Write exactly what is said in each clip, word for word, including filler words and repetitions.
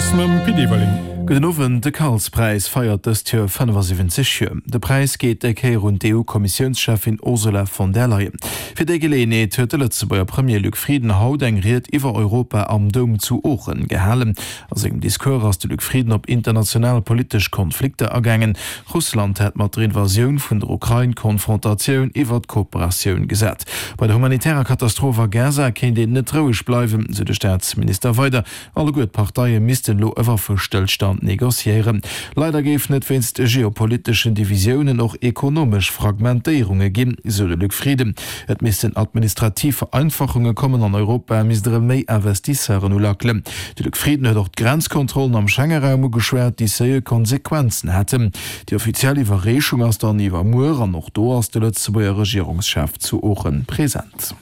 News mam Pit Everling. Gudden Owend, De Karlspräis feiert dëst Joer fënnefasiwwenzeg Joer. De Präis geet déi Kéier un d'EU-Kommissiounscheffin Ursula von der Leyen. Fir déi Geleeënheet huet de Lëtzebuerger Premier Luc Frieden haut eng Ried iwwer Europa am Doum zu Oochen gehalen. A sengem Discours ass de Luc Frieden op international politesch Konflikter agaangen. Russland hätt mat der Invasioun vun der Ukrain d'Konfrontatioun iwwer d'Kooperatioun gesat. Bei der humanitärer Katastroph a Gaza kéint een net roueg bleiwen, sou de Staatsminister weider. Alleguer d'Parteie missten elo e Waffestëllstand negociéieren. Leider géifen et wéinst geopoliteschen Divisiounen och ekonomesch Fragmentéierunge ginn, sou de Luc Frieden. Et missten administrativ Vereinfachunge kommen an Europa misst erëm méi Investisseuren ulackelen. De Luc Frieden huet och d'Grenzkontrollen am Schengeraum ugeschwat, déi seriö Konsequenzen hätten. Déi offiziell Iwwerreechung ass dann iwwermuer an och do ass de Lëtzebuerger Regierungschef zu Oochen present.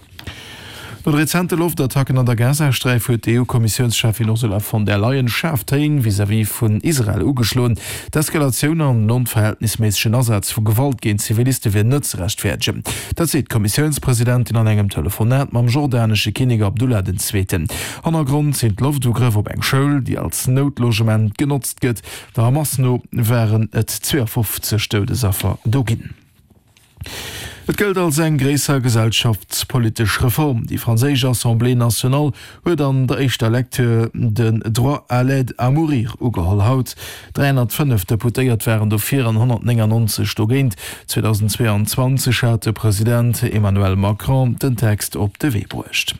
No de rezente Loftattacken an der Gazasträif huet d'EU-Kommissiounscheffin Ursula von der Leyen schaarf Téin vis-à-vis vun Israel ugeschloen. D'Eskalatioun an den onverhältnisméissegen Asaz vu Gewalt géint Ziviliste wier net ze rechtfäerdegen. Dat seet d'Kommissiounspresidentin an engem Telefonat mam jordanesche Kinnek Abdullah den Zweeten. Hannergrond sinn d'Loftugrëff op eng Schoul, déi als Noutlogement genotzt gëtt. Der Hamas no waren et zweeafofzeg Doudesaffer do ginn. Et gëllt als eng gréisser gesellschaftspolitesch Reform. Déi franséisch Assemblée nationale huet an der éischter Lecture den Droit à l'aide à mourir ugeholl. Haut dräihonnertfënnef Deputéiert waren dofir an honnertnéngannonzeg dogéint. zweedausendzweeanzwanzeg hat de President Emmanuel Macron den Text op de Wee bruecht.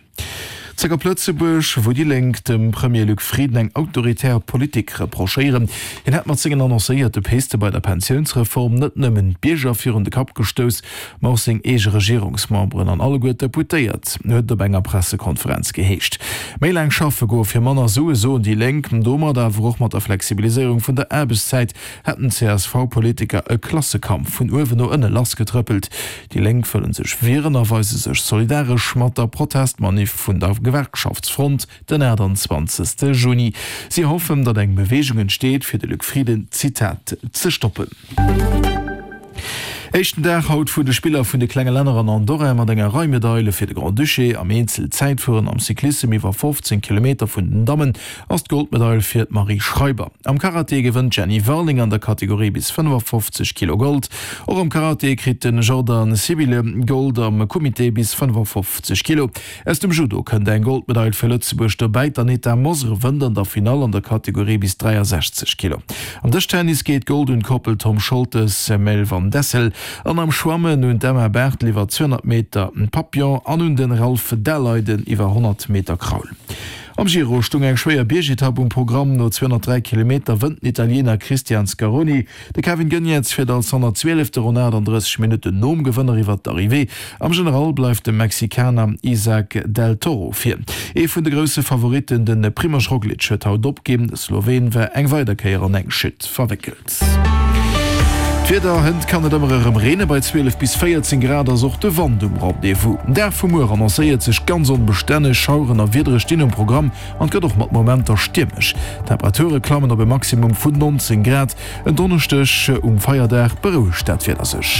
Zréck op Lëtzebuerg, wou déi Lénk dem Premier Luc Frieden eng autoritär Politik reprochéieren. Hien hätt mat sengen annoncéierte Piste bei der Pensiounsreform net nëmmen d'Bierger virun de Kapp gestouss, ma och seng eege Regierungsmemberen an alleguer d'Deputéiert, huet et op enger Pressekonferenz geheescht. Méi laang schaffe goe fir manner Sue, soen déi Lénk. Domat, awer och mat der Flexibiliséierung vun der Aarbechtszäit, hätten d'CSV-Politiker e Klassekampf vun uewen no ënne lassgetrëppelt. Déi Lénk wëlle sech wieren a weise sech solidaresch mat der Protestmanif vun der Gewerkschaftsfront den aachtanzwanzegste Juni. Si hoffen, datt eng Beweegung entsteet, fir de Luc Frieden, Zitat, ze stoppen. Éischten Dag haut vun de Spiller vun de klenge Länner an Andorra mat enger Rei Medaile fir de Grand-Duché. Am Eenzelzäitfueren am Cyclissem iwwer fofzéng Kilometer vun den Dammen ass d'Goldmedail fir d'Marie Schreiber. Am Karate gewënnt d'Jenny Warling an der Kategorie bis fënnefafofzeg Kilo Gold. Och am Karate kritt de Jordan Sibille Gold am Kumite bis fënnefafofzeg Kilo. Aus dem Judo kënnt eng Goldmedail fir Lëtzebuerg dobäi. D'Anita Mosr wënnt an der Finall an der Kategorie bis dräiasechzeg Kilo. Am Dëschtennis geet Gold un d'Koppel Tom Scholtes, Mel van Dessel an am Schwammen un d'Emma Barthel iwwer zweehonnert Meter Papillon an un de Ralph Daleiden iwwer honnert Meter Kraul. Am Giro stung eng schwéier Biergetapp um Programm. No zweehonnertdräi Kilometer wënnt den Italiener Christian Scaroni. De Kevin Geniets fiert als honnertzwielefte ronn aachtanddrësseg Minutten nom Gewënner iwwer d'Arrivée. Am General bleift de Mexikaner Isaac del Toro vir. Ee vun de grousse Favoritten, de Primož Roglič, huet haut opginn. De Sloween war eng weider Kéier an eng Chute verwéckelt. D'Wieder, Hënt kann et ëmmer erëm reene, bei zwielef bis véierzéng Grad ass och de Wand um Rendez-vous. Den Dag vu muer annoncéiert sech ganz onbestänneg, Schaueren a Wiedere stinn um Programm an et gëtt och mat Momenter stiermesch. D'Temperature klammen op e Maximum vun nonzéng Grad. En Donneschdeg um Feierdag berouegt dat Wieder sech.